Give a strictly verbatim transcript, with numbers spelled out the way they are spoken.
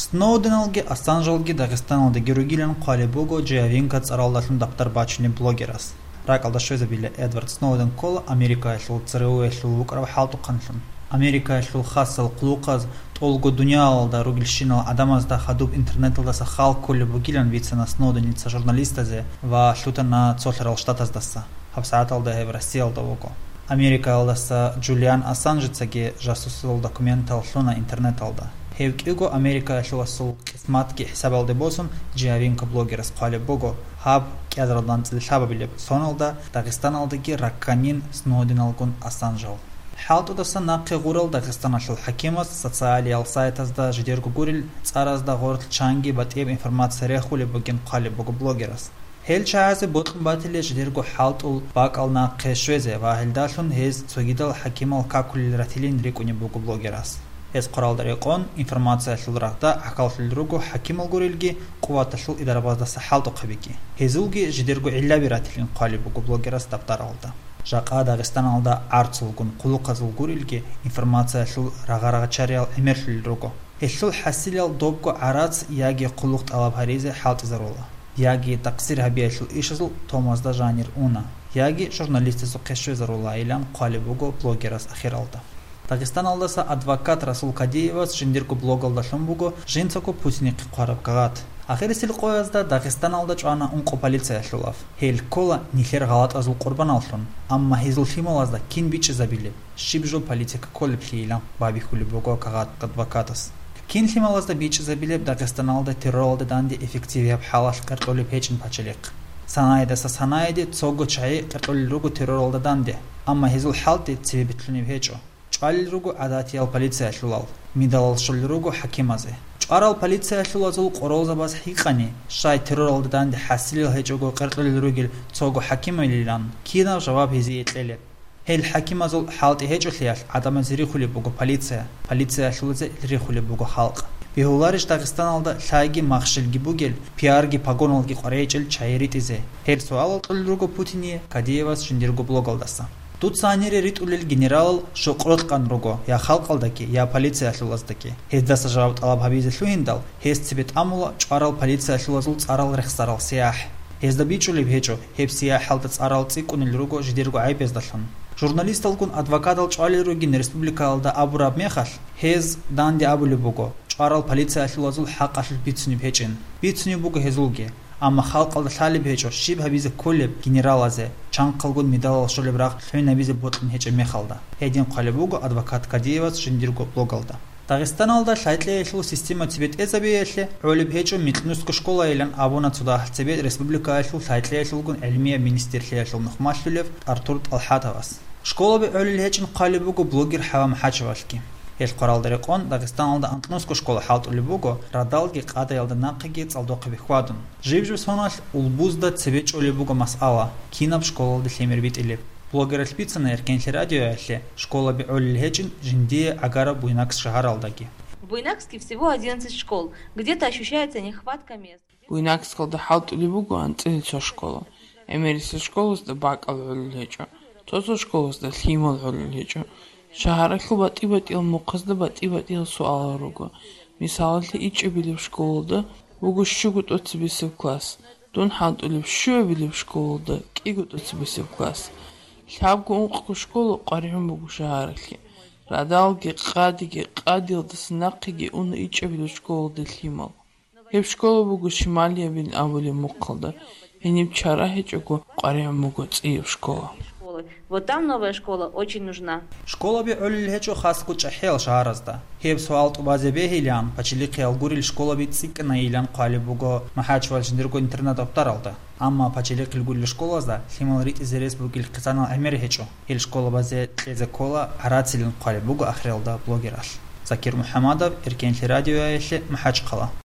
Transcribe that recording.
Сноуденалги Ассанжалги Дагъистаналдаги ругилан хъвалеб буго Джиавинка цӀаралдалъун дапдар бачунеб блогерас. РакӀалда щвезабила, Эдвард Сноуден ккола Америкаялъул ЦРУ-ялъул вукӀарав хӀалтӀухъанлъун. Америкаялъул хасал хъулухъаз тӀолго дуниялалда ругелщинал гӀадамазда хадуб интернеталдаса хал кколеб бугилан бицана Сноуденица журналистазе ва лъутана цолъарал штатаздаса. ГьабсагӀаталда гьеб Россиялда вуго. Америкаялдаса Джулиан Ассанжецаги жасусал документал лъуна интернеталда. Гьев кӀиго Америкаялъуласул къисматги хӀисабалде босун, Джиавинка блогерас хъвалеб буго, гьаб кӀиазаралда анцӀила лъабабилеб соналда Дагъистаналдаги ракканин Сноуденалгун Ассанжал. ХӀалтӀудаса нахъе гъурал Дагъистаналъул хӀакимас социалиял сайтазда жидерго гурел цӀаразда гъорлъ чанги батӀияб информация рехулеб бугин хъвалеб буго блогерас. Гьел чагӀазе бокьун батила жидерго хӀалтӀул бакӀал нахъе щвезе ва гьелдалъун гьез цогидал хӀакимал какулел ратилин рикӀкӀунеб буго блогерас. Гьез хъваралда рекъон, информациялъул рагъда гӀахьаллъулел руго хӀакимал гурелги, къуваталъул идарабаздаса хӀалтӀухъабиги. Гьезулги жидерго гӀиллаби ратилин хъвалеб буго блогерас дапдаралда. Жакъа Дагъистаналда гӀарцулгун, хъулухъазул гурелги, информациялъул рагъа-рагъачариял гӀемерлъулел руго. Гьелъул хӀасилал добго гӀарац яги хъулухъ тӀалаб гьаризе хӀалтӀизарула, яги такъсир гьабиялъул ишазул томазда жанир уна, яги журналистазухъе щвезарула, илан хъвалеб буго блогерас ахиралда. Дагъистаналдаса адвокат Расул Кадиевас жиндирго блогалда лъун буго жинцаго Путинихъе хъвараб кагъат. Ахирисел къоязда Дагъистаналда чӀвана ункъо полициялъулав. Гьел ккола нилъер гъалатӀазул къурбаналлъун, амма гьезул лъималазда кин бичӀчӀизабилеб? Щиб жо политика кколеблъийилан байбихьулеб буго кагъат адвокатас. Кин лъималазда бичӀчӀизабилеб Дагъистаналда терроралда данде эффективияб хӀалалъ къеркьулеб гьечӀин пачалихъ. Санаидаса санаиде цого чагӀи къеркьулел руго терроралда данде, амма гьезул хӀалтӀи цебе битӀлъунеб гьечӀо. ЧӀвалел руго гӀадатиял полициялъулал, медалал щолел руго хӀакимазе. ЧӀварал полициялъулазул къоролзабаз гьикъани, щай терроралда данде хӀасилел гьечӀого къеркьулел ругел цого хӀакимилилан, кинаб жаваб гьезие кьелеб? Гьел хӀакимазул хӀалтӀи гьечӀолъиялъ гӀадамазе рихулеб буго полиция, полициялъулазе рихулеб буго халкъ. Бегьуларищ Дагъистаналда лъайги махщелги бугел, пиарги погоналги къваригӀичӀел чагӀи ритӀизе? Гьел суалал кьолел руго Путине Кадиевас жиндирго блогалдаса. Дуца гьанире ритӀулел генералал щокъ рокьан руго я халкъалдаги, я полициялъулаздаги. Гьездаса жаваб тӀалаб гьабизе лъугьиндал, гьес цебе тӀамула чӀварал полициялъулазул цӀарал рехсарал сияхӀ. Гьезда бичӀчӀулеб гьечӀо, гьеб сияхӀалда цӀарал цӀикӀкӀунел руго жидерго гӀайбездалъун. Журналисталгун адвокатал чӀвалел ругин республикалда абураб мехалъ, гьез данде абулеб буго, чӀварал полициялъулазул хӀакъалъулъ бицунеб гьечӀин. Бицунеб буго гьезулги. Амма халкъалда лъалеб гьечӀо, щиб гьабизе кколеб генералазе, чанхъалгун медалал щолеб рагъ лъугӀинабизе бокьун гьечӀеб мехалда. Гьедин хъвалеб буго адвокат Кадиевас жиндирго блогалда. Дагъистаналда лъай-кьейалъул система цебетӀезабиялъе гӀолеб гьечӀо Микьнуско школайилан абуна цо дагьал цебе республикаялъул лъай-кьейалъулгун гӀилмияб министрлъиялъул нухмалъулев Артур ТӀалхӀатовас. Школаби гӀолел гьечӀин хъвалеб буго блогер ХӀава МухӀачевалъги. Гьел хъваралда рекъон Дагъистаналда анкьнусго школа хӀалтӀулеб буго радалги къадаялда нахъеги цӀалдохъеби хьвадун. Жиб-жиб соналъ улбузда цебе чӀолеб буго масъала, кинаб школалде лъимер битӀилеб. Блогералъ бицана Эркенлъи радиоялъе школаби гӀолел гьечӀин жиндие гӀагараб Буйнакск шагьаралдаги. В Буйнакске всего одиннадцать школ. Где-то ощущается нехватка мест. Буйнакскалда хӀалтӀулеб буго анцӀила цо школа. ГӀемерисел школазда бакӀал гӀолел гьечӀо, цо-цо школазда лъимал гӀолел гьечӀо. Шагьаралъул батӀи-батӀиял мухъазда батӀи-батӀиял суалал руго. Мисалалъе, ичӀабилеб школалда буго щуго тӀоцебесеб класс, дун хӀалтӀулеб щуабилеб школалда кӀиго тӀоцебесеб класс. Лъабго-ункъго школа къваригӀун буго шагьаралъе. Радалги, къадиги, къадиялдаса нахъеги уна ичӀабилеб школалда лъимал. Гьеб школа буго Шималиябин абулеб мухъалда, гьениб чара гьечӀого къваригӀун буго цӀияб школа. Школы. Вот там новая школа очень нужна. Школаби гӀолел гьечӀо хасго чӀахӀиял шагьаразда. Гьеб суал тӀубазе бегьилан, пачалихъиял гурел школаби цӀикӀкӀинайилан хъвалеб буго МухӀачевал жиндирго интернат-дапаралда. Амма пачалихъил гурел школазда лъимал ритӀизе рес бугел хъизанал гӀемер гьечӀо. Гьел школабазе кьезе ккола гӀарацилан хъвалеб буго ахиралда блогералъ. Закир МухӀамадов, Эркенлъи радиоялъе, МахӀачхъала.